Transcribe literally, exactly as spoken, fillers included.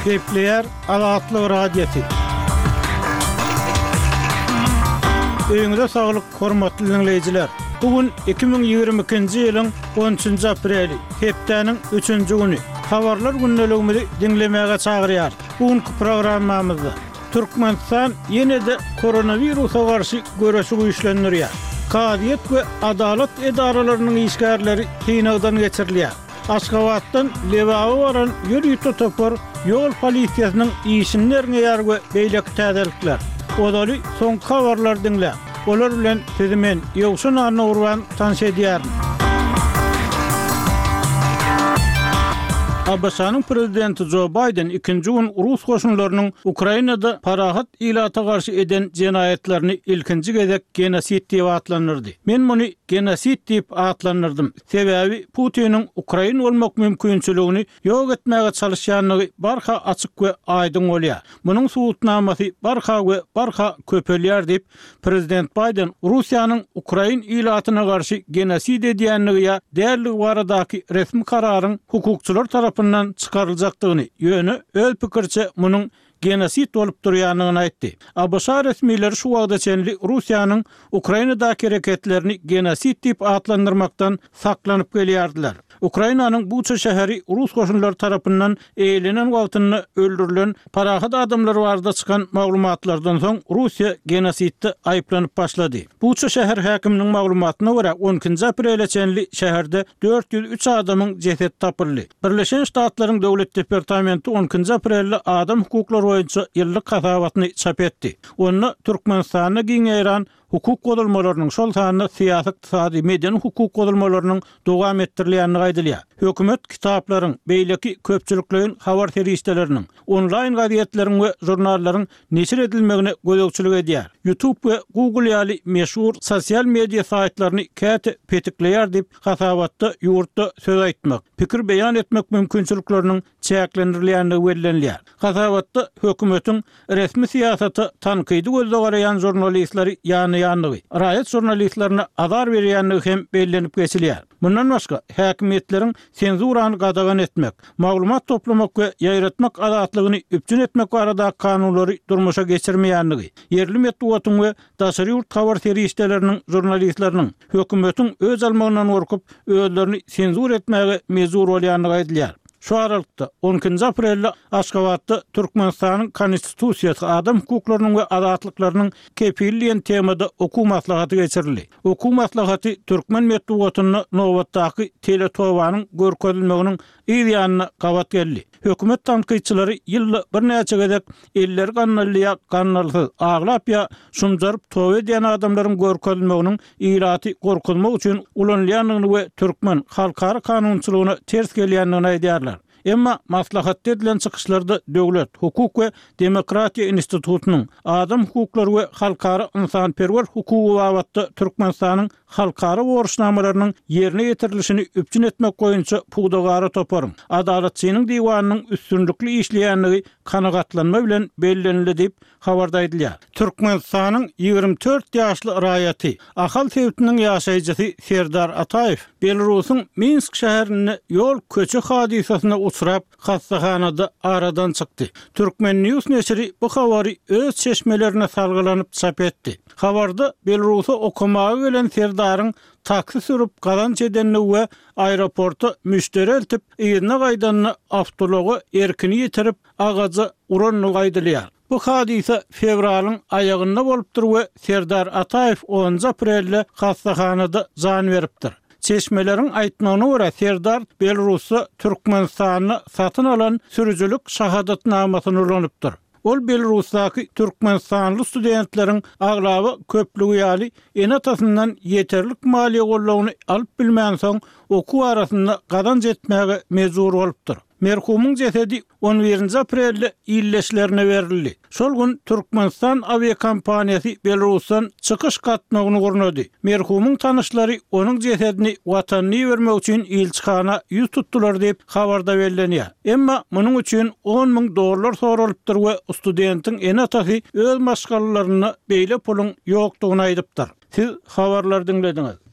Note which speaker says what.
Speaker 1: Gepleýär Azatlyk Radiosy. Öýüňize saglyk, hormatly diňleýjiler! Bu gün iki müň ýigrimi ikinji ýylyň on üçünji apreli, hepdäniň üçünji güni. Habarlar gündeligimizi diňlemäge çagyrýarys. Bu günki programmamyzda Türkmenistan ýene-de koronawirusa garşy göreşi güýçlendirýär. Kazyýet we adalat edaralarynyň işgärleri synagdan geçirilýär. Aşgabatdan Lebaba baran ýörite topar ýol polisiýasynyň işini derňeýär we beýleki täzelikler. Ozaly soňky habarlary diňläň. Olar bilen sizi men, Ýowşan Annagurban tanyş edýärin. ABŞ-nyň prezidenti Jo Baýden ikinji gün rus goşunlarynyň Ukrainada parahat ilata garşy eden jenaýatlaryny ilkinji gezek genosid diýip atlandyrdy. Men muny genosid diýip atlandyrdym, sebäbi Putiniň ukrain bolmak mümkinçiligini ýok etmäge çalyşýandygy barha açyk we aýdyň bolýar. Munuň subutnamasy barha we barha köpelýär diýip, prezident Baýden Russiýanyň ukrain ilatyna garşy genosid edýändigi ýa däldigi baradaky resmi kararyň hukukçylar tarapyndan çykaryljakdygyny, ýöne öz pikiriçe munuň genosid bolup durýandygyny aýtdy. ABŞ resmileri şu wagta çenli Russiýanyň Ukrainadaky hereketlerini genosid diýip atlandyrmakdan saklanyp gelýärdiler. Ukrainanyň Buça şäheri rus goşunlary tarapyndan eýelenen wagtynda öldürilen parahat adamlar barada çykan maglumatlardan soň Russiýa genosidde aýyplanyp başlady. Buça şäher häkiminiň maglumatyna görä on ikinji aprele çenli şäherde dört ýüz üç adamyň jesedi tapyldy. Birleşen Ştatlaryň Döwlet departamenti on ikinji aprelde adam hukuklary boýunça ýyllyk hasabatyny çap etdi. Onda Türkmenistanda giň ýaýran hukuk bozulmalarynyň, şol sanda syýasy, ykdysady, medeni hukuk bozulmalarynyň dowam etdirilýändigi aýdylýar. Hökümet kitaplaryň, beýleki köpçülikleýin habar serişdeleriniň, onlaýn gazetleriň we žurnallaryň neşir edilmegine gözegçilik edýär. YouTube we Google ýaly meşhur sosial media saýtlaryny käte petikleýär diýip, hasabatda ýurtda söz aýtmak, pikir beýan etmek mümkinçilikleriniň çäklendirilýändigi bellenilýär. Hasabatda hökümetiň resmi syýasata tankydy gözde garaýan žurnalistleri ýanaýandygy, raýat žurnalistlerine azar berýändigi hem bellenip geçilýär. Mundan başga, häkimiýetleriň senzurany gadagan etmek, maglumat toplamak we ýaýratmak azatlygyny üpjün etmek barada kanunlary durmuşa geçirmeýändigi, ýerli metbugatyň we daşary ýurt habar serişdeleriniň žurnalistleriniň hökümetiň öz almagyndan gorkup, özlerini senzur etmäge mejbur bolýandygy aýdylýar. Şu aralykda on ikinji aprelde Aşgabatda Türkmenistanyň Konstitusiýasy adam hukuklarynyň we azatlyklarynyň kepili diýen temada okuw maslahaty geçirildi. Okuw maslahaty türkmen metbugatynda nobatdaky teletobanyň görkezilmeginiň yz ýanyna gabat geldi. Hökümet tankytçylary ýylda birnäçe gezek elleri gandally ýa gandalsyz, aglap ýa şumjaryp toba edýän adamlaryň görkezilmeginiň ilaty gorkuzmak üçin ulanylýandygyny we türkmen halkara kanunçylygyna ters gelýändigini aýdýarlar. Emma maslahatda edilen çykyşlarda döwlet, hukuk we demokratiýa institutynyň, adam hukuklary we halkara ynsanperwer hukugy babatda Türkmenistanyň halkara borçnamalarynyň ýerine ýetirilişini üpjün etmek boýunça pudagara toparyň, Adalatçynyň diwanynyň üstünlikli işleýändigi kanagatlanma bilen bellenildi diýip, habarda aýdylýar. Türkmenistanyň ýigrimi dört ýaşly raýaty, Ahal sebitiniň ýaşaýjysy Serdar Ataýew Belarusyň Minsk şäherinde ýol köçe hadysasyna uçrap, hassahanada aradan çykdy. Türkmen News neşiri bu habary öz çeşmelerine salgylanyp çap etdi. Habarda Belarusa okamaga gelen Serdaryň taksi sürüp gazanç edendigi we aeroporta müşderi eltip, yzyna gaýdanda awtoulaga erkini ýitirip, agaja urandygy aýdylýar. Bu hadysa fewralyň aýagynda bolupdyr we Serdar Ataýew onunjy aprelde hassahanada jan beripdir. Çeşmeleriň aýtmagyna görä Serdar Belarusda Türkmenistanda satyn alan sürüjilik şahadatnamasyny ulanypdyr. Ol Belarusdaky türkmenistanly studentleriň aglaba köplügi ýaly ene-atasyndan ýeterlik maliýe goldawyny alyp bilmänsoň, okuw arasynda gazanç etmäge mejbur bolupdyr. Merhumyň jesedi on birinji aprelde illeşlerine berildi. Şol gün Türkmenistan awiakompaniýasy Belarusdan çykyş gatnawyny gurnady. Merhumyň tanyşlary onuň jesedini watanyna ibermek üçin ilçihana ýüz tutdular diýip habarda bellenýär. Emma munuň üçin on müň dollar soralypdyr we studentiň ene-atasy öz maşgalalarynda beýle puluň ýokdugyny aýdypdyr. Siz habarlary diňlediňiz.